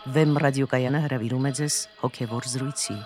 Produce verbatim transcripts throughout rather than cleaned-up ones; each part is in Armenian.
Վեմ ռադիոկայանը հրավիրում է ձեզ հոգևոր զրույցի։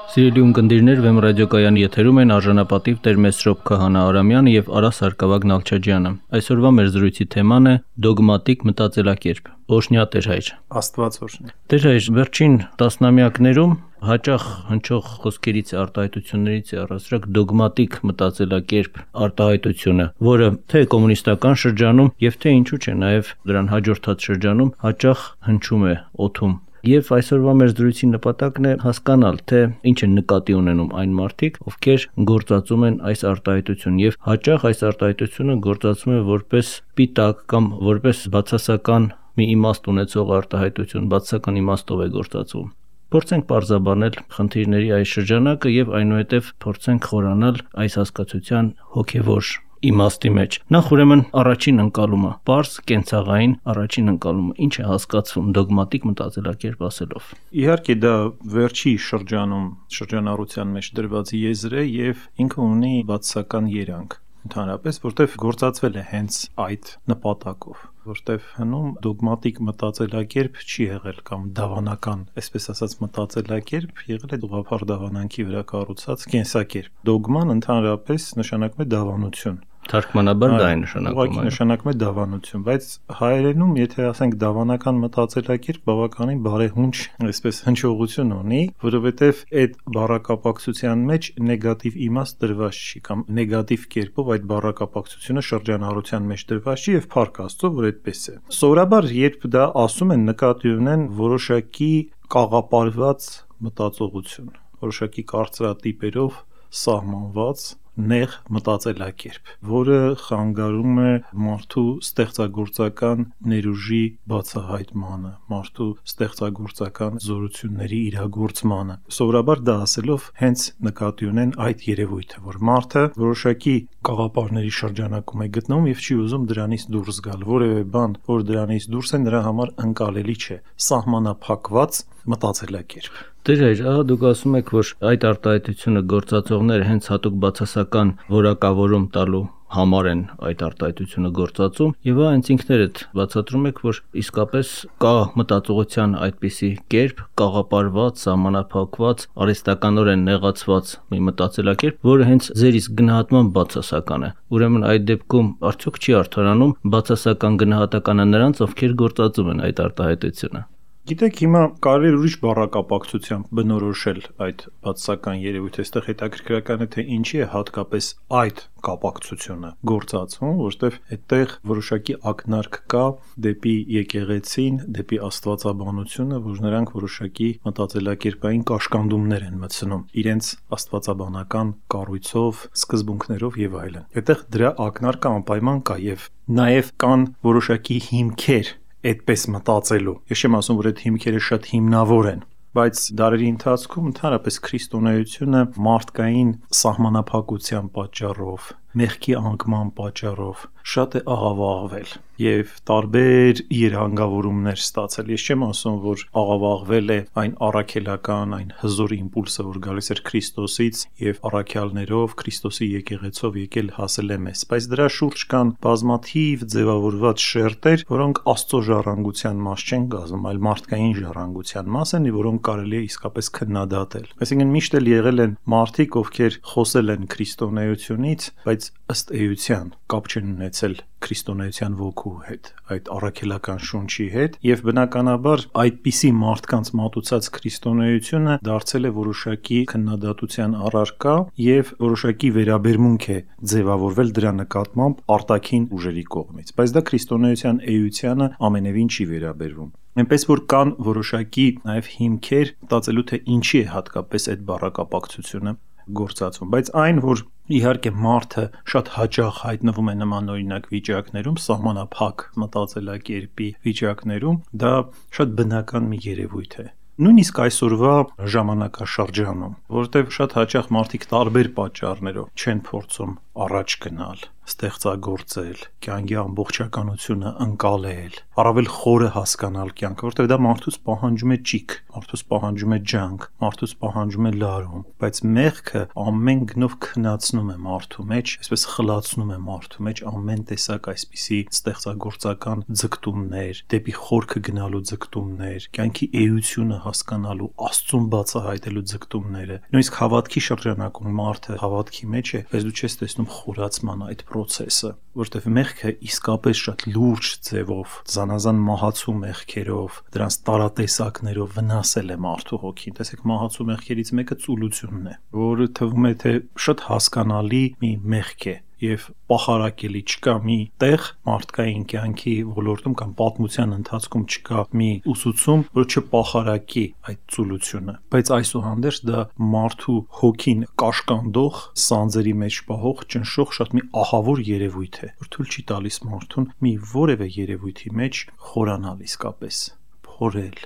Սիրելի ունկնդիրներ, Վեմ ռադիոկայանի եթերում են արժանապատիվ Տեր Մեսրոպ Քահանա Արամյանը եւ Արա Սարգսակյան Նալչաջյանը։ Այսօրվա մեր զրույցի թեման է դոգմատիկ մտածելակերպ։ Օշնյա Տեր հայր։ Աստված օրհնի։ Տեր հայր, վերջին տասնամյակներում հաճախ հնչող խոսքերից արտահայտություններից է առասարակ դոգմատիկ մտածելակերպ արտահայտությունը, որը թե կոմունիստական շրջանում եւ թե ինչու՞ չէ նաեւ դրան հաջորդած շրջանում հաճախ հնչում է օդում։ Եվ այսօրվա մեր զրույցի նպատակն է հասկանալ, թե ինչ են նկատի ունենում այն մարդիկ, ովքեր գործածում են այս արտահայտությունը, եւ հաճախ այս արտահայտությունը գործածվում է որպես պիտակ կամ որպես բացասական մի իմաստ ունեցող արտահայտություն, բացասական իմաստով է գործածվում։ Փորձենք պարզաբանել խնդիրների այս շրջանակը եւ այնուհետեւ փորձենք խորանալ այս հասկացության հոգեվոր իմաստի մեջ։ Նախ ուրեմն առաջին ընկալումը, պարզ կենցաղային առաջին ընկալումը, ինչ է հասկացվում դոգմատիկ մտածելակերպ ասելով։ Իհարկե դա վերջի շրջանում շրջանառության մեջ դրված եզր է եւ ինքը ունի բացասական երանգ։ Ընդհանրապես, որտեվ գործածվել է հենց այդ նպատակով, որտեվ հնում դոգմատիկ մտածելակերպ չի եղել կամ դավանական, այսպես ասած մտածելակերպ եղել է ուղղափառ դավանանքի վրա կառուցած կենսակերպ։ Դոգման ընդհանրապես նշանակում է դավանություն։ Թարգմանաբար դա է նշանակում։ Ուղղակի նշանակում է դավանություն, բայց հայերենում, եթե ասենք դավանական մտածելակերպ բավականին բարեհունչ, այսպես հնչողություն ունի, որովհետև այդ բառակապակցության մեջ նեգատիվ իմաստ դրված չի կամ նեգատիվ կերպով այդ բառակապակցությունը շրջանառության մեջ դրված չի եւ փառք Աստծո, որ այդպես է։ Սովորաբար երբ դա ասում են, նկատի ունեն որոշակի կաղապարված մտածողություն, որոշակի կարծրատիպերով սահմանված նեղ մտածելակերպ, որը խանգարում է մարդու ստեղծագործական ներուժի բացահայտմանը, մարդու ստեղծագործական զորությունների իրագործմանը։ Սովորաբար դա ասելով հենց նկատի ունեն այդ երևույթը, որ մարդը որոշակի կաղապարների շրջանակում է գտնվում եւ չի ուզում դրանից դուրս գալ։ Որևէ բան, որ դրանից դուրս է, նրա համար ընկալելի չէ, սահմանափակված մտածելակերպ։ Տեր հայր, ահա դուք ասում եք, որ այդ արտահայտությունը գործածողները հենց հատուկ բացասական որակավորում տալու համար են այդ արտահայտությունը գործածում, եւ հա հենց ինքներդ բացատրում եք, որ իսկապես կա մտածողության այդպիսի կերպ, կաղապարված, սահմանափակված, արհեստականորեն նեղացված մի մտածելակերպ, որը հենց ձեր իսկ գնահատման բացասական է։ Ուրեմն այդ դեպքում արդյոք չի արդարանում բացասական գնահատականը նրանց, ովքեր գործածում են այդ արտահայտությունը։ Գիտեք, հիմա կարելի է ուրիշ բառակապակցությամբ բնորոշել այդ բացասական երևույթը, այստեղ հետաքրքրական է, թե ինչի է հատկապես այդ կապակցությունը գործածվում, որտեղ այդտեղ որոշակի ակնարկ կա դեպի եկեղեցին, դեպի աստվածաբանությունը, որ նրանք որոշակի մտածելակերպային կաշկանդումներ են մտցնում իրենց աստվածաբանական կառույցով, սկզբունքներով եւ այլն։ Այդտեղ դրա ակնարկը անպայման կա եւ նաեւ կան որոշակի հիմքեր այդպես մտածելու։ Ես չեմ ասում, որ այդ հիմքերը շատ հիմնավոր են, բայց դարերի ընթացքում ընդհանրապես քրիստոնեությունը մարդկային սահմանափակության պատճառով, մեղքի անկման պատճառով շատ է աղավաղվել եւ տարբեր երանգավորումներ ստացել։ Ես չեմ ասում, որ աղավաղվել է այն առաքելական, այն հզոր իմպուլսը, որ գալիս էր Քրիստոսից եւ առաքյալներով, Քրիստոսի եկեղեցով եկել հասել է մեզ, բայց դրա շուրջ կան բազմաթիվ ձևավորված շերտեր, որոնք Աստծո ժառանգության մաս չեն կազմում, այլ մարդկային ժառանգության մաս են, որոնք կարելի է իսկապես քննադատել։ Այսինքն միշտ էլ եղել են մարդիկ, ովքեր խոսել են քրիստոնեությունից, բայց ըստ էության կապ չեն ունեցել քրիստոնեության ոգու հետ, այդ առաքելական շունչի հետ, եւ բնականաբար այդպիսի մարդկանց մատուցած քրիստոնեությունը դարձել է որոշակի քննադատության առարկա եւ որոշակի վերաբերմունք է ձևավորվել դրա նկատմամբ արտաքին ուժերի կողմից, բայց դա քրիստոնեության էությանը ամենևին չի վերաբերվում։ Այնպես որ կան որոշակի նաեւ հիմքեր մտածելու, թե ինչի է հատկապես այդ բառակապակցությունը գործածվում, բայց այն, որ իհարկե մարդը շատ հաճախ հայտնվում է նմանօրինակ վիճակներում, սահմանափակ մտածելակերպի վիճակներում, դա շատ բնական մի երևույթ է։ Նույնիսկ այսօրվա ժամանակաշրջանում, որտեղ շատ հաճախ մարդիկ տարբեր պատճառներով չեն փորձում առաջ գնալ, ստեղծագործել, կյանքի ամբողջականությունը ընկալել, առավել խորը հասկանալ կյանքը, որտեղ դա մարդուց պահանջում է ճիգ, մարդուց պահանջում է ջանք, մարդուց պահանջում է լարում, բայց մեղքը ամեն գնով քնացնում է մարդու մեջ, այսպես խլացնում է մարդու մեջ ամեն տեսակ այսպիսի ստեղծագործական ձգտումներ, դեպի խորքը գնալու ձգտումներ, կյանքի էությունը հասկանալու, Աստծուն բացահայտելու ձգտումները։ Նույնիսկ հավատքի շրջանակում մարդը հավատքի մեջ է, բայց դու չես տեսնում խորացման այդ process-ը, որտեղ մեղքը իսկապես շատ լուրջ ձևով, զանազան մահացու մեղքերով, դրանց տարատեսակներով վնասել է մարդու հոգին։ Տեսեք, մահացու մեղքերից մեկը ծուլությունն է, որը թվում է թե շատ հասկանալի մի մեղք է եւ պախարակելի, չկա մի տեղ մարդկային կյանքի ոլորտում կամ պատմության ընթացքում չկա մի ուսուցում, որ չպախարակի այդ ծուլությունը, բայց այսուհանդերձ դա մարդու հոգին կաշկանդող, սանձերի մեջ պահող, ճնշող շատ մի ահավոր երևույթ է, որ թույլ չի տալիս մարդուն մի որևէ երևույթի մեջ խորանալ իսկապես, փորել,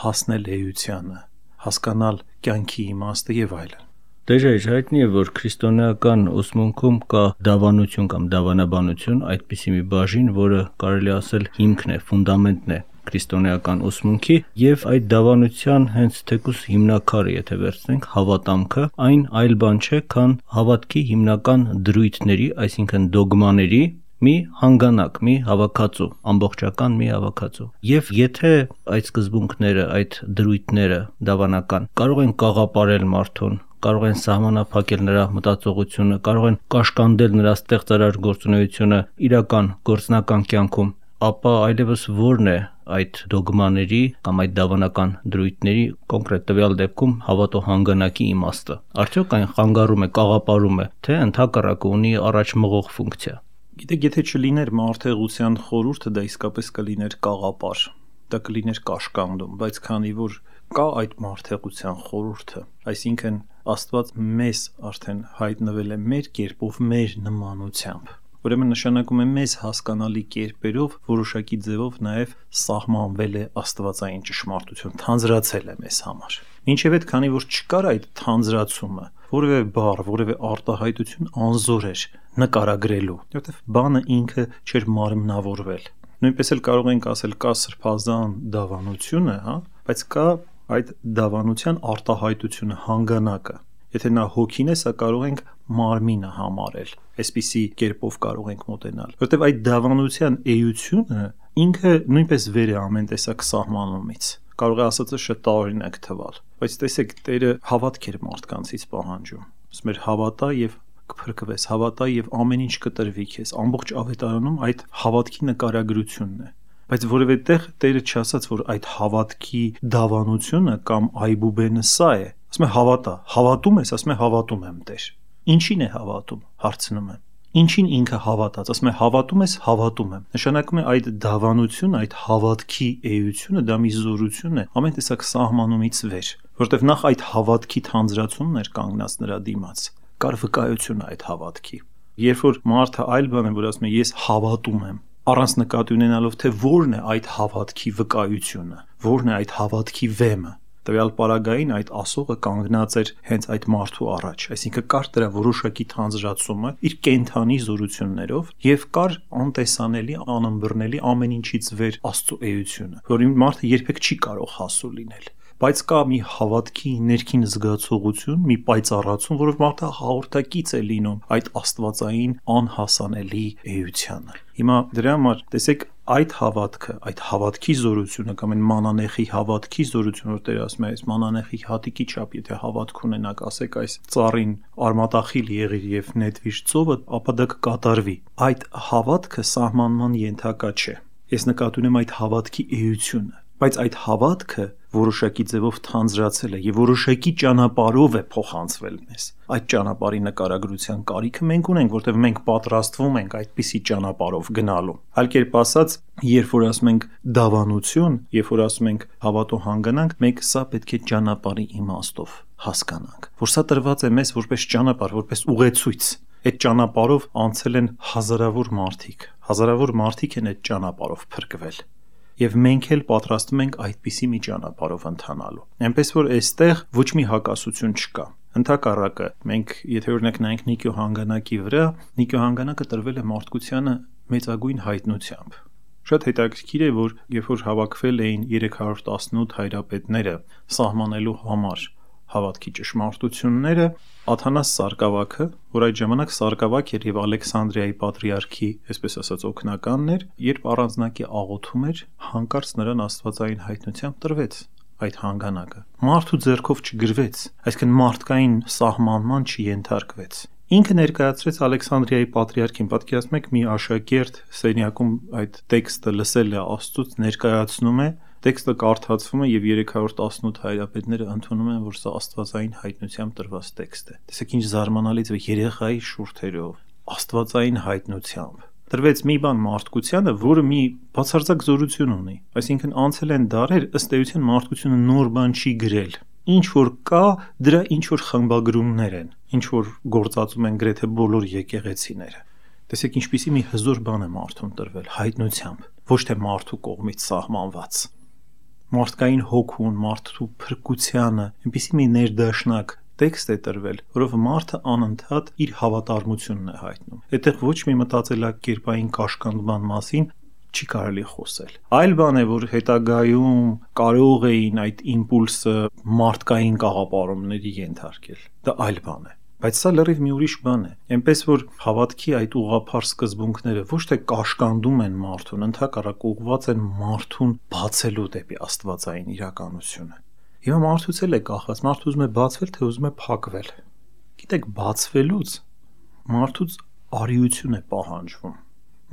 հասնել էությանը, հասկանալ կյանքի իմաստը եւ այլն։ Դեժայր հայտնի է, որ քրիստոնեական ուսմունքում կա դավանություն կամ դավանաբանություն, այդպիսի մի բաժին, որը կարելի ասել հիմքն է, ֆունդամենտն է քրիստոնեական ուսմունքի, եւ այդ դավանության հենց թեկուս հիմնակարը, եթե վերցնենք, հավատամքը, այն այլ բան չէ, քան հավատքի հիմնական դրույթների, այսինքն դոգմաների մի հանգանակ, մի հավաքածու, ամբողջական մի հավաքածու։ Եվ եթե այդ սկզբունքները, այդ դրույթները դավանական կարող են կաղապարել մարդուն, կարող են սահմանափակել նրա մտածողությունը, կարող են կաշկանդել նրա ստեղծարար գործունեությունը իրական գործնական կյանքում, ապա այլևս ո՞րն է այդ դոգմաների կամ այդ դավանական դրույթների կոնկրետ տվյալ դեպքում հավատո հանգանակի իմաստը։ Արդյոք այն խանգարում է, կաղապարում է, թե ընդհակառակը ունի առաջ մղող ֆունկցիա։ Գիտեք, եթե չլիներ մարդեղության խորհուրդը, դա իսկապես կլիներ կաղապար, դա կլիներ կաշկանդում, բայց քանի որ կա այդ մարդեղության խորհուրդը, այսինքն Աստված մեզ արդեն հայտնվել է մեր կերպով, մեր նմանությամբ, ուրեմն նշանակում է մեզ հասկանալի կերպերով, որոշակի ձևով նաև սահմանվել է աստվածային ճշմարտություն, թանձրացել է մեզ համար։ Մինչև այդ, քանի որ չկար այդ թանձրացումը, որևէ բառ, որևէ արտահայտություն անզոր էր նկարագրելու, որովհետև բանը ինքը չէր մարմնավորվել։ Նույնպես էլ կարող ենք ասել կա սրբազան դավանությունը, հա, բայց կա այդ դավանության արտահայտությունը, հանգանակը։ Եթե նա հոգին է, սա կարող ենք մարմինը համարել, այսպիսի կերպով կարող ենք մոտենալ, որովհետև այդ դավանության էությունը ինքը նույնպես վեր է ամեն տեսակ սահմանումից։ Կարող է ասածը շատ տարօրինակ թվալ, բայց տեսեք, Տերը հավատք էր մարդկանցից պահանջում։ Ասում էր հավատա եւ կփրկվես, հավատա եւ ամեն ինչ կտրվի քեզ։ Ամբողջ ավետարանում այդ հավատքի նկարագրությունն է։ Բայց որևէ տեղ Տերը չասաց, որ այդ հավատքի դավանությունը կամ այբուբենը սա է։ Ասում է հավատա, հավատում ես, ասում է հավատում եմ, Տեր։ Ինչին է հավատում, հարցնում եմ։ Ինչին ինքը հավատաց, ասում է հավատում ես, հավատում եմ։ Նշանակում է այդ դավանությունը, այդ հավատքի էությունը, դա մի զորություն է, ամեն տեսակ սահմանումից վեր, որովհետև նախ այդ հավատքի թանձրացումն էր կանգնած նրա դիմաց, կար վկայությունը այդ հավատքի։ Երբ որ մարդը այլ բան է, որ ասում է ես հավատում եմ, առանց նկատի ունենալով, թե որն է այդ հավատքի վկայությունը, որն է այդ հավատքի վեմը, տվյալ պարագային այդ ասողը կանգնած էր հենց այդ մարդու առաջ, այսինքն կար դրա որոշակի թանձրացումը իր կենթանի զորություններով եւ կար անտեսանելի, անըմբռնելի ամեն ինչից վեր Աստծո էությունը, որին մարդը երբեք չի կարող հասու լինել։ Բայց կա մի հավատքի ներքին զգացողություն, մի պայծառացում, որով մարդը հաղորդակից է լինում այդ աստվածային անհասանելի էությանը։ Հիմա դրա համար տեսեք այդ հավատքը, այդ հավատքի զորությունը կամ այն մանանեխի հավատքի զորությունը, որ Տերը ասում է, այս մանանեխի հատիկի չափ, եթե հավատք ունենաք, ասեք այս ծառին արմատախիլ եղիր եւ նետվիր ծովը, ապա դա կկատարվի։ Այդ հավատքը սահմանման ենթակա չէ։ Ես նկատի ունեմ այդ հավատքի էությունը, բայց այդ հավատքը որոշակի ձևով թանձրացել է եւ որոշակի ճանապարհով է փոխանցվել մեզ։ Այդ ճանապարհի նկարագրության կարիքը մենք ունենք, որտեղ մենք պատրաստվում ենք այդպիսի ճանապարհով գնալու։ Այլ կերպ ասած, երբ որ ասում ենք դավանություն, երբ որ ասում ենք հավատո հանգանանք, մենք սա պետք է ճանապարհի իմաստով հասկանանք, որ սա տրված է մեզ որպես ճանապարհ, որպես ուղեցույց։ Այդ ճանապարհով անցել են հազարավոր մարդիկ, հազարավոր մարդիկ են այդ ճանապարհով փրկվել։ Եվ մենք էլ պատրաստվում ենք այդպիսի մի ճանապարհով ընթանալու։ Այնպես որ այստեղ ոչ մի հակասություն չկա։ Ընդհակառակը, մենք եթե օրինակ նայենք Նիկո հանգանակի վրա, Նիկո հանգանակը տրվել է մարդկությանը մեծագույն հայտնությամբ։ Շատ հետաքրքիր է, որ երբ որ հավաքվել էին երեք հարյուր տասնութ հայրապետները սահմանելու համար հավատքի ճշմարտությունները, Աթանաս Սարգսակը, որ այդ ժամանակ Սարգսակ էր եւ Ալեքսանդրիայի պատրիարքի, այսպես ասած, օգնականն էր, երբ առանձնակի աղոթում էր, հանկարծ նրան աստվածային հայտնությամբ տրվեց այդ հանգանակը։ Մարդու ձեռքով չգրվեց, այսինքն մարդկային սահմանման չենթարկվեց։ Ինքը ներկայացրեց Ալեքսանդրիայի պատրիարքին, պատկերացնում եք մի աշակերտ սենյակում այդ տեքստը լսել է Աստծուց, ներկայացնում է, տեքստը կարդացվում է եւ երեք հարյուր տասնութ հայրապետները ընդունում են, որ սա աստվածային հայտնությամբ տրված տեքստ է։ Տեսեք ինչ զարմանալի է, երեխայի շուրթերով, աստվածային հայտնությամբ տրվեց մի բան մարդկությանը, որը մի բացարձակ զորություն ունի։ Այսինքն անցել են դարեր, ըստ էության մարդկությունը նոր բան չի գրել։ Ինչ որ կա, դրա ինչ որ խմբագրումներ են, ինչ որ գործածում են գրեթե բոլոր եկեղեցիները։ Տեսեք ինչպիսի մի հզոր բան է մարդուն տրվել հայտնությամբ, ոչ թե մարդու կողմից սահմանված։ Մարդկային հոգուն, մարդու փրկությանը, այնպիսի մի ներդաշնակ տեքստ է տրվել, որով մարդը անընդհատ իր հավատարմությունն է հայտնում։ Այդտեղ ոչ մի մտածելակերպային կաշկանդման մասին չի կարելի խոսել։ Այլ բան է, որ հետագայում կարող էին այդ իմպուլսը մարդկային կաղապարումների ենթարկել։ Դա այլ բան է։ Բայց սա լրիվ մի ուրիշ բան է։ Այնպես որ հավատքի այդ ուղղափառ սկզբունքները ոչ թե կաշկանդում են մարդուն, ընդհակառակը ուղղված են մարդուն բացելու դեպի աստվածային իրականությունը։ Հիմա մարդուց էլ է կախված, մարդը ուզում է բացվել, թե ուզում է փակվել։ Գիտեք, բացվելուց մարդուց արիություն է պահանջվում։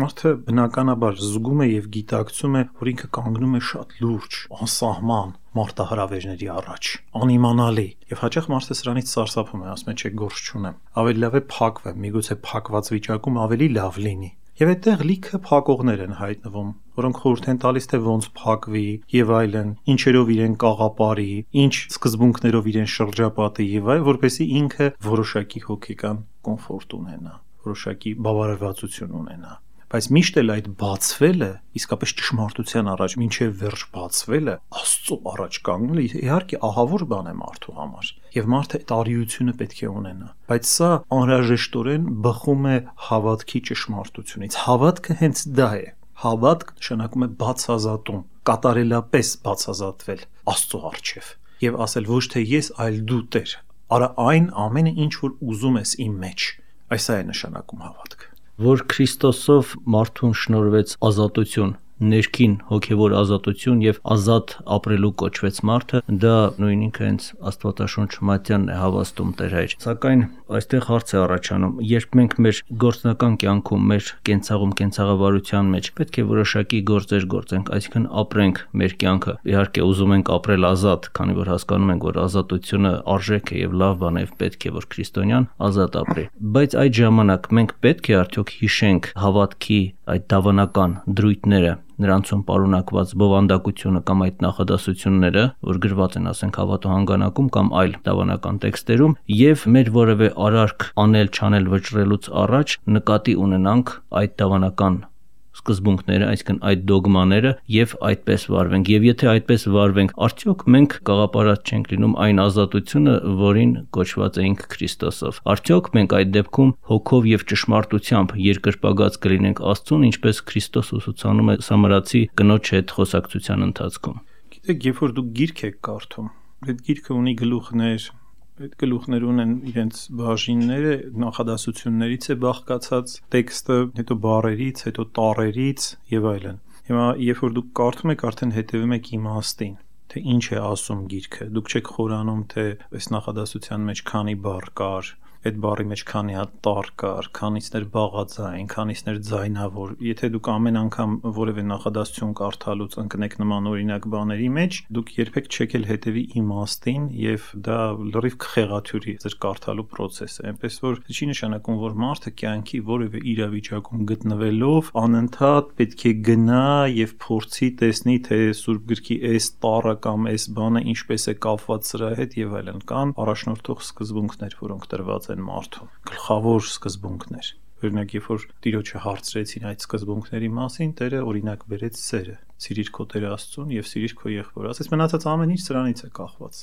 Մարդը բնականաբար զգում է եւ գիտակցում է, որ ինքը կանգնում է շատ լուրջ, անսահման մարտահրավերների առաջ, անիմանալի, եւ հաճախ մարդը սրանից սարսափում է, ասում է, չէ, գործ չունեմ։ Ավելի լավ է փակվեմ, միգուցե փակված վիճակում ավելի լավ լինի։ Եվ այդտեղ լիքը փակողներ են հայտնվում, որոնք խորհուրդ են տալիս, թե ոնց փակվի եւ այլն, ինչերով իրեն կաղապարի, ինչ սկզբունքներով իրեն շրջապատի եւ այլ, որպեսզի ինքը որոշակի հոգեկան կոմֆորտ ունենա, որոշակի բավարարվածություն ունենա։ Բայց միշտ էլ այդ բացվելը, իսկապես ճշմարտության առաջ մինչև վերջ բացվելը, Աստծո առաջ կանգնելը իհարկե ահավոր բան է մարդու համար, եւ մարդը այդ արիությունը պետք է ունենա։ Բայց սա անհրաժեշտորեն բխում է հավատքի ճշմարտությունից։ Հավատքը հենց դա է։ Հավատք նշանակում է բացազատում, կատարելապես բացազատվել Աստծո առջև եւ ասել ոչ թե ես, այլ դու Տեր։ Արա այն ամենը, ինչ որ ուզում ես իմ մեջ։ Այս է նշանակում հավատքը։ Որ Քրիստոսով մարդուն շնորհվեց ազատություն, ներքին հոգևոր ազատություն եւ ազատ ապրելու կոչվեց մարդը, դա նույն ինքը հենց Աստվածաշունչ Մատյանն է հավաստում Տեր Հայր։ Սակայն այստեղ հարց է առաջանում, երբ մենք մեր գործնական կյանքում, մեր կենցաղում, կենցաղավարության մեջ պետք է որոշակի գործեր գործենք, այսինքն ապրենք մեր կյանքը։ Իհարկե ուզում ենք ապրել ազատ, քանի որ հասկանում ենք, որ ազատությունը արժեք է եւ լավ բան է, պետք է որ քրիստոնյան ազատ ապրի։ Բայց այդ ժամանակ մենք պետք է արդյոք հիշենք հավատքի այդ դավանական դրույթները, նրանցում պարունակված բովանդակությունը կամ այդ նախադասությունները, որ գրված են, ասենք, հավատո հանգանակում կամ այլ դավանական տեքստերում, եւ մեր որևէ արարք անել, չանել վճռելուց առաջ նկատի ունենանք այդ դավանական սկզբունքները, այսինքն այդ դոգմաները եւ այդպես վարվենք։ Եվ եթե այդպես վարվենք, արդյոք մենք կաղապարած չենք լինում այն ազատությունը, որին կոչված էինք Քրիստոսով։ Արդյոք մենք այդ դեպքում հոգով եւ ճշմարտությամբ երկրպագած կլինենք Աստծուն, ինչպես Քրիստոս ուսուցանում է Սամարացի կնոջ հետ խոսակցության ընթացքում։ Գիտեք, երբ որ դուք գիրք եք կարդում, այդ գիրքը ունի գլուխներ, այդ գլուխներ ունեն իրենց բաժինները, նախադասություններից է բաղկացած տեքստը, հետո բառերից, հետո տառերից եւ այլն։ Հիմա երբ որ դուք կարդում եք, արդեն հետևում եք իմաստին, թե ինչ է ասում գիրքը։ Դուք չեք խորանում, թե այս նախադասության մեջ քանի բառ կար, այդ բառի մեջ քանի հատ տառ կար, քանիցներ բաղաձայն, քանիցներ ձայնավոր։ Եթե դուք ամեն անգամ որևէ նախադասություն կարդալուց ընկնեք նման օրինակ բաների մեջ, դուք երբեք չեք էլ հետևի իմաստին եւ դա լրիվ քխեղաթյուրի ձեր կարդալու process է։ Այնպես որ չի նշանակում, որ մարդը կյանքի որևէ իրավիճակում գտնվելով անընդհատ պետք է գնա եւ փորձի տեսնի, թե Սուրբ գրքի այս տառը կամ այս բանը ինչպես է կապված սրա հետ եւ այլն։ Կան առաջնորդող սկզբունքներ, որոնք տրված են մարդուն, գլխավոր սկզբունքներ։ Օրինակ, երբ որ Տիրոջը հարցրեցին այդ սկզբունքների մասին, Տերը օրինակ բերեց սերը. սիրիր քո Տեր Աստծուն եւ սիրիր քո եղբորը։ Ասես մնացած ամեն ինչ սրանից է կախված։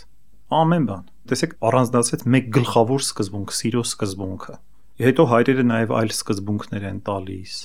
ամեն բան։ Տեսեք, առանձնացած մեկ գլխավոր սկզբունք, սիրո սկզբունքը։ Հետո հայրերը նաև այլ սկզբունքներ են տալիս՝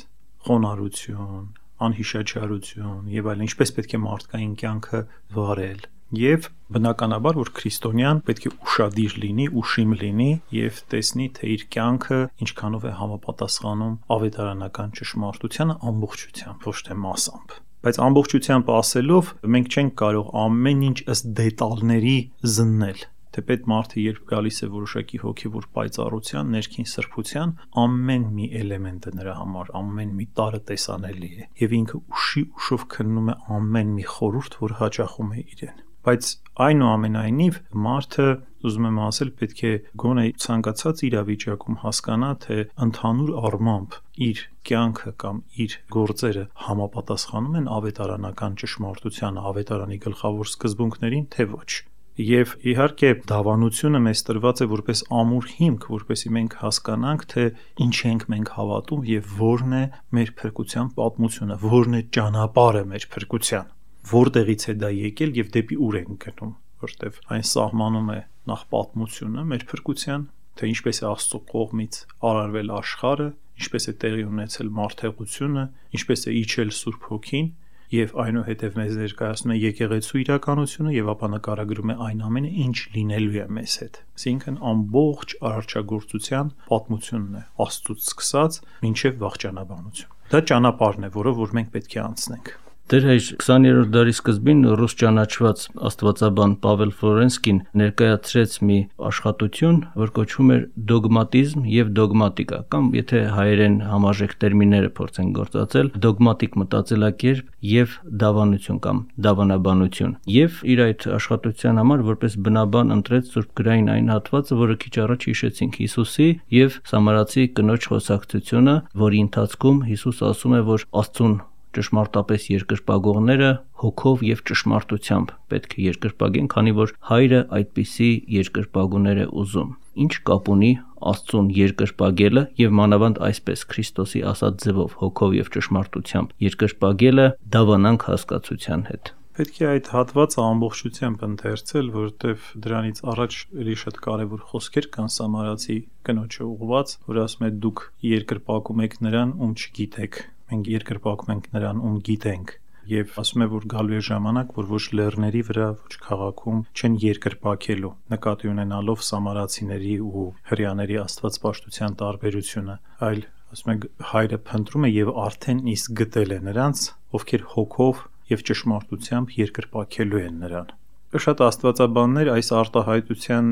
խոնարհություն, անհիշաչարություն եւ այլն, ինչպես պետք է մարդկային կյանքը վարել։ Եվ բնականաբար, որ քրիստոնյան պետք է ուշադիր լինի, ուշիմ լինի եւ տեսնի, թե իր կյանքը ինչքանով է համապատասխանում ավետարանական ճշմարտությանը ամբողջությամբ, ոչ թե մասամբ։ Բայց ամբողջությամբ ասելով, մենք չենք կարող ամեն ինչ ըստ դետալների զննել։ Թեպետ մարդը երբ գալիս է որոշակի հոգևոր պայծառության, ներքին սրբության, ամեն մի էլեմենտը նրա համար, ամեն մի տարը տեսանելի է, եւ ինքը ուշի ուշով քննում է ամեն մի խորհուրդ, որ հաճախում է իրեն։ Բայց այնուամենայնիվ մարդը, ուզում եմ ասել, պետք է գոնե ցանկացած իրավիճակում հասկանա, թե ընդհանուր առմամբ իր կյանքը կամ իր գործերը համապատասխանում են ավետարանական ճշմարտությանը, ավետարանի գլխավոր սկզբունքներին, թե ոչ։ Եվ իհարկե դավանությունը մեզ տրված է որպես ամուր հիմք, որպեսզի մենք հասկանանք, թե ինչ ենք մենք հավատում եւ որն է մեր փրկության պատմությունը, որն է ճանապարհը մեր փրկության, որտեղից է դա եկել եւ դեպի ուր ենք գնում, որտեվ այն սահմանում է նախ պատմությունը մեր փրկության, թե ինչպես է Աստծո կողմից արարվել աշխարհը, ինչպես է տեղի ունեցել մարդեղությունը, ինչպես է իջել Սուրբ Հոգին, եւ այնուհետև մեզ ներկայացնում է եկեղեցու իրականությունը եւ ապա նկարագրում է այն ամենը, ինչ լինելու է մեզ հետ։ Այսինքն ամբողջ արարչագործության պատմությունն է, Աստծուց սկսած մինչեւ վաղճանաբանություն։ Դա ճանապարհն է, որով որ մենք պետք է անցնենք։ Դեր հայր քսաներորդ դարի սկզբին ռուս ճանաչված աստվածաբան Պավել Ֆլորենսկին ներկայացրեց մի աշխատություն, որ կոչվում էր դոգմատիզմ եւ դոգմատիկա, կամ եթե հայերեն համաժեք տերմինները փորձեն գործածել, դոգմատիկ մտածելակերպ եւ դավանություն կամ դավանաբանություն։ Եվ իր այդ աշխատության համար որպես բնաբան ընտրեց Սուրբ գրային այն հատվածը, որը քիչ առաջ հիշեցինք, Հիսուսի եւ Սամարացի կնոջ խոսակցությունը, որի ընթացքում Հիսուս ասում է, որ Աստծուն ճշմարտապես երկրպագողները հոգով եւ ճշմարտությամբ պետք է երկրպագեն, քանի որ հայրը այդպիսի երկրպագուներ է ուզում։ Ինչ կապ ունի Աստծուն երկրպագելը եւ մանավանդ այսպես Քրիստոսի ասած ձևով հոգով եւ ճշմարտությամբ երկրպագելը դավանանք հասկացության հետ։ Պետք է այդ հատվածը ամբողջությամբ ընթերցել, որովհետեւ դրանից առաջ էլի շատ կարեւոր խոսքեր կան Սամարացի կնոջը ուղված, որ ասում է դուք երկրպագում եք նրան, ում չգիտեք։ Մենք երկրպագում ենք նրան, ում գիտենք, եւ ասում է, որ գալու է ժամանակ, որ ոչ լեռների վրա, ոչ քաղաքում չեն երկրպագելու, նկատի ունենալով սամարացիների ու հրեաների աստվածպաշտության տարբերությունը, այլ ասում է հայրը փնտրում է եւ արդեն իսկ գտել է նրանց, ովքեր հոգով եւ ճշմարտությամբ երկրպագելու են նրան։ Շատ աստվածաբաններ այս արտահայտության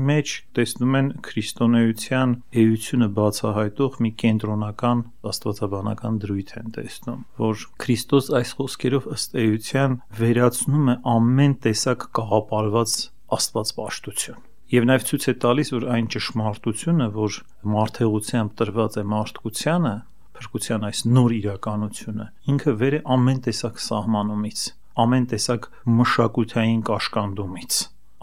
մեջ տեսնում են քրիստոնեության էությունը բացահայտող մի կենտրոնական աստվածաբանական դրույթ են տեսնում, որ Քրիստոս այս խոսքերով ըստ էության վերացնում է ամեն տեսակ կաղապարված աստվածպաշտություն։ Եվ նաև ցույց է տալիս, որ այն ճշմարտությունը, որ մարդեղությամբ տրված է մարդկությանը, փրկության այս նոր իրականությունը, ինքը վեր է ամեն տեսակ սահմանումից, ամեն տեսակ մշակութային կաշկանդումից,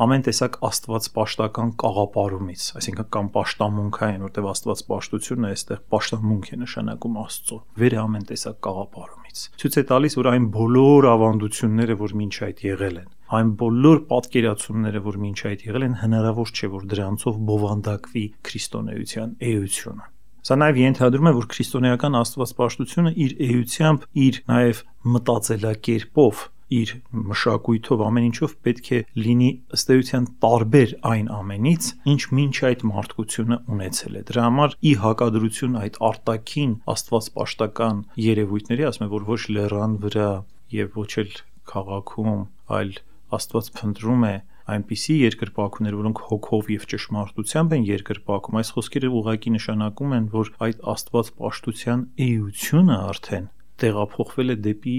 ամեն տեսակ աստվածպաշտական կաղապարումից, այսինքն կամ պաշտամունքային, որտեղ աստվածպաշտությունը այստեղ պաշտամունք է նշանակում Աստծո, վեր է ամեն տեսակ կաղապարումից։ Ցույց է տալիս, որ այն բոլոր ավանդությունները, որ մինչ այդ եղել են, այն բոլոր պատկերացումները, որ մինչ այդ եղել են, հնարավոր չէ, որ դրանցով բովանդակվի քրիստոնեության էությունը։ Սա նաև ենթադրում է, որ քրիստոնեական աստվածպաշտությունը իր էությամբ, իր նաև մտածելակերպով, իր մշակույթով, ամեն ինչով պետք է լինի ըստ էության տարբեր այն ամենից, ինչ մինչ այդ մարդկությունը ունեցել է։ Դրա համար ի հակադրություն այդ արտաքին աստվածպաշտական երևույթների, ասում եմ, որ ոչ լեռան վրա եւ ոչ էլ քաղաքում, այլ Աստված փնտրում է այնպիսի երկրպագուներ, որոնք հոգով եւ ճշմարտությամբ են երկրպագում, այս խոսքերը ուղղակի նշանակում են, որ այդ աստվածպաշտության էությունը արդեն տեղափոխվել է դեպի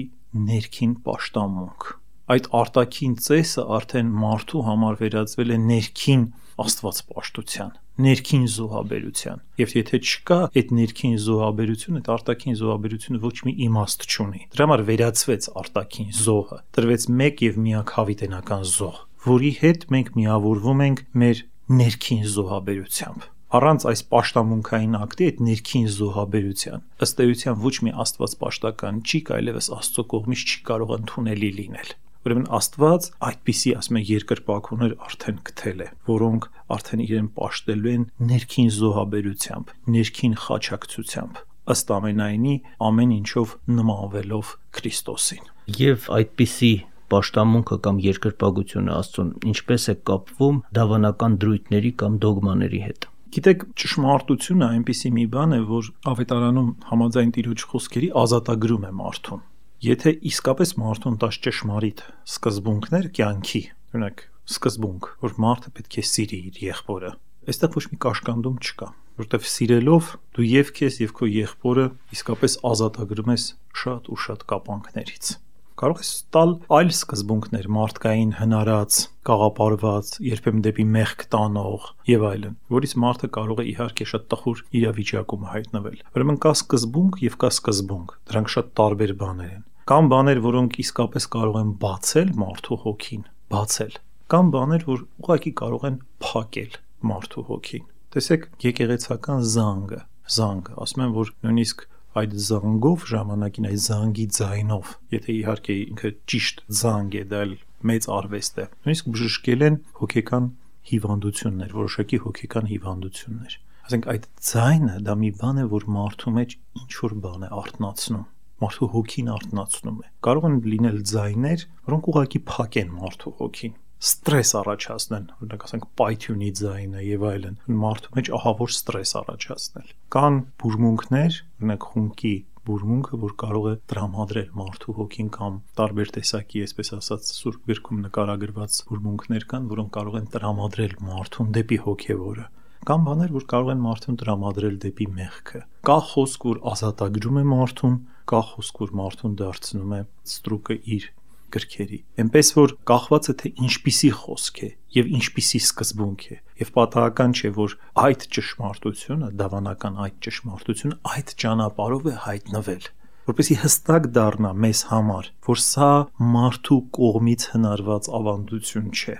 ներքին պաշտամունք։ Այդ արտաքին ծեսը արդեն մարդու համար վերածվել է ներքին աստվածպաշտության, ներքին զոհաբերության։ Եվ եթե չկա այդ ներքին զոհաբերությունը, այդ արտաքին զոհաբերությունը ոչ մի իմաստ չունի։ Դրա համար վերածվեց արտաքին զոհը, տրվեց մեկ եւ միակ հավիտենական զոհ, որի հետ մենք միավորվում ենք մեր ներքին զոհաբերությամբ։ Առանց այս պաշտամունքային ակտի, այդ ներքին զոհաբերության, ըստ էության ոչ մի աստվածպաշտական ճիկ այլևս Աստծո կողմից չի կարող ընդունելի լինել։ Ուրեմն Աստված այդպիսի, ասում են, երկրպագուներ արդեն գտել է, որոնք արդեն իրեն պաշտելու են ներքին զոհաբերությամբ, ներքին խաչակցությամբ, ըստ ամենայնի ամեն ինչով նմանվելով Քրիստոսին։ Եվ այդպիսի պաշտամունքը կամ երկրպագությունը Աստծուն ինչպես է կապվում դավանական դրույթների կամ դոգմաների հետ։ Գիտեք, ճշմարտությունը այնպիսի մի բան է, որ ավետարանում համաձայն Տիրոջ խոսքերի ազատագրում է մարդուն։ Եթե իսկապես մարդուն տաս ճշմարիտ սկզբունքներ կյանքի, օրինակ սկզբունք, որ մարդը պետք է սիրի իր եղբորը, այստեղ ոչ մի կաշկանդում չկա, որտեղ սիրելով դու եւ քեզ եւ քո եղբորը իսկապես ազատագրում ես շատ ու շատ կապանքներից։ Կարող ես տալ այլ սկզբունքներ, մարդկային հնարած, կաղապարված, երբեմն դեպի մեղք տանող եւ այլն, որից մարդը կարող է իհարկե շատ տխուր իրավիճակում հայտնվել։ Ուրեմն կա սկզբունք եւ կա սկզբունք, դրանք շատ տարբեր բաներ են։ Կան բաներ, որոնք իսկապես կարող են բացել մարդու հոգին, բացել։ Կան բաներ, որ ուղղակի կարող են փակել մարդու հոգին։ Տեսեք, եկեղեցական զանգը, զանգը, ասում են, որ նույնիսկ այդ զանգով ժամանակին այդ զանգի ձայնով, եթե իհարկե ինքը ճիշտ զանգ է, դա մեծ արվեստ է, նույնիսկ բժշկել են հոգեկան հիվանդություններ, որոշակի հոգեկան հիվանդություններ։ Ասենք այդ ձայնը դա մի բան է, որ մարդու մեջ ինչ որ բան է արթնացնում, մարդու հոգին արթնացնում է։ Կարող են լինել ձայներ, որոնք ուղղակի փակեն մարդու հոգին, ստրես առաջացնեն, օրինակ ասենք պայթյունի ձայնը եւ այլն, մարդու մեջ ահավոր ստրես առաջացնել։ Կան բուրմունքներ, օրինակ խունկի բուրմունքը, որ կարող է տրամադրել մարդու հոգին կամ տարբեր տեսակի, այսպես ասած, Սուրբ գրքում նկարագրված բուրմունքներ կան, որոնք կարող են տրամադրել մարդուն դեպի հոգևորը։ Կան բաներ, որ կարող են մարդուն տրամադրել դեպի մեղքը։ Կա խոսք, որ ազատագրում է մարդուն, կա խոսք, որ մարդուն դարձնում է ստրուկը իր գրքերի։ Էնպես որ կախված է թե ինչպիսի խոսք է եւ ինչպիսի սկզբունք է, եւ պատահական չէ, որ այդ ճշմարտությունը, դավանական այդ ճշմարտությունը այդ ճանապարհով է հայտնվել, որպեսզի հստակ դառնա մեզ համար, որ սա մարդու կողմից հնարված ավանդություն չէ,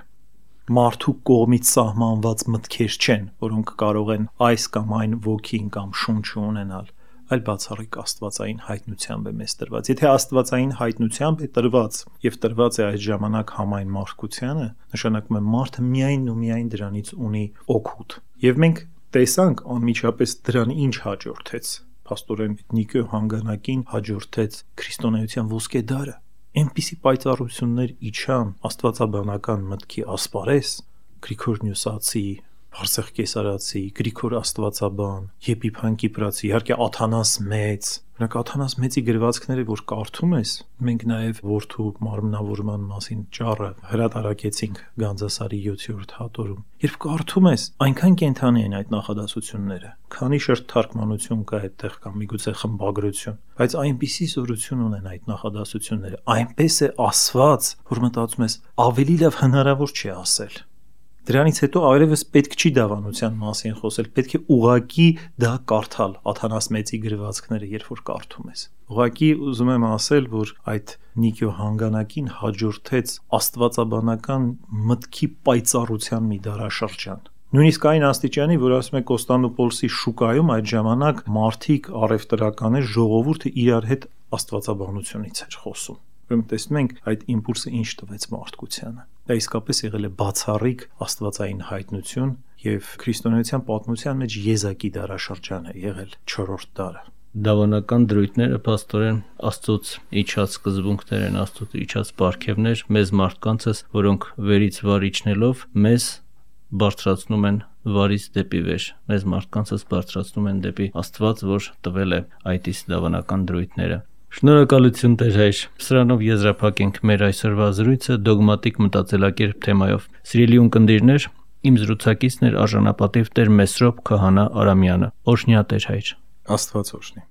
մարդու կողմից սահմանված մտքեր չեն, որոնք կարող են այս կամ այն ոգին կամ շունչը ունենալ, այլ բացառիկ աստվածային հայտնությամբ է մեզ տրված։ Եթե աստվածային հայտնությամբ է տրված եւ տրված է այդ ժամանակ համայն մարդկությանը, նշանակում է մարդը միայն ու միայն դրանից ունի օգուտ։ Եվ մենք տեսանք անմիջապես դրան ինչ հաջորդեց։ Փաստորեն Նիկո հանգանակին հաջորդեց քրիստոնեության ոսկե դարը։ Այնպիսի պայծառություններ իջան աստվածաբանական մտքի ասպարես, Գրիգոր Նյուսացի, Բարսեղ Կեսարացի, Գրիգոր Աստվածաբան, Եփիփան Կիպրացի, իհարկե Աթանաս Մեծ, օրինակ Աթանաս Մեծի գրվածքները, որ կարդում ես, մենք նաև որդու մարմնավորման մասին ճառը հրատարակեցինք Գանձասարի յոթերորդ հատորում։ Երբ կարդում ես, այնքան կենթանի են այդ նախադասությունները, քանի շերտ թարգմանություն կա այդտեղ կամ միգուցե խմբագրություն, բայց այնպիսի զորություն ունեն այդ նախադասությունները, այնպես է ասված, որ մտածում ես, ավելի լավ հնարավոր չի ասել։ Դրանից հետո այլևս պետք չի դավանության մասին խոսել, պետք է ուղակի դա կարդալ, Աթանաս Մեծի գրվածքները, երբ որ կարդում ես։ Ուղղակի ուզում եմ ասել, որ այդ Նիկո հանգանակին հաջորդեց աստվածաբանական մտքի պայծառության մի դարաշրջան։ Նույնիսկ այն աստիճանի, որ ասում է Կոստանդնուպոլսի շուկայում այդ ժամանակ մարդիկ, առևտրականներ, ժողովուրդը իրար հետ աստվածաբանությունից էր խոսում։ Ուրեմն տեսնում ենք այդ իմպուլսը ինչ տվեց մարդկությանը։ Դա իսկապես եղել է բացառիկ աստվածային հայտնություն եւ քրիստոնեության պատմության մեջ եզակի դարաշրջան է եղել չորրորդ դարը։ Դավանական դրույթները փաստորեն Աստծոց իջած սկզբունքներ են, Աստծոց իջած պարգևներ մեզ մարդկանցս, որոնք վերից վար իջնելով մեզ բարձրացնում են վարից դեպի վեր, մեզ մարդկանցս բարձրացնում են դեպի Աստված, որ տվել է այդ իսկ դավանական դրույթները։ Շնորհակալություն Տեր հայր։ Սրանով եզրափակենք մեր այսօրվա զրույցը դոգմատիկ մտածելակերպ թեմայով։ Սիրելի ունկնդիրներ, իմ զրուցակիցն էր արժանապատիվ Տեր Մեսրոպ Քահանա Արամյանը։ Օրհնյա Տեր հայր։ Աստված օրհնի։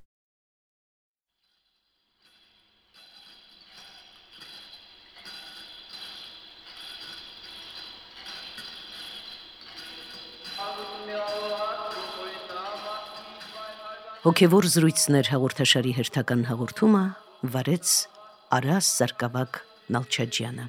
Հոգևոր զրույցներ հաղորդաշարի հերթական հաղորդումը վարեց Արաս Սարգսակ Նալչաջյանը։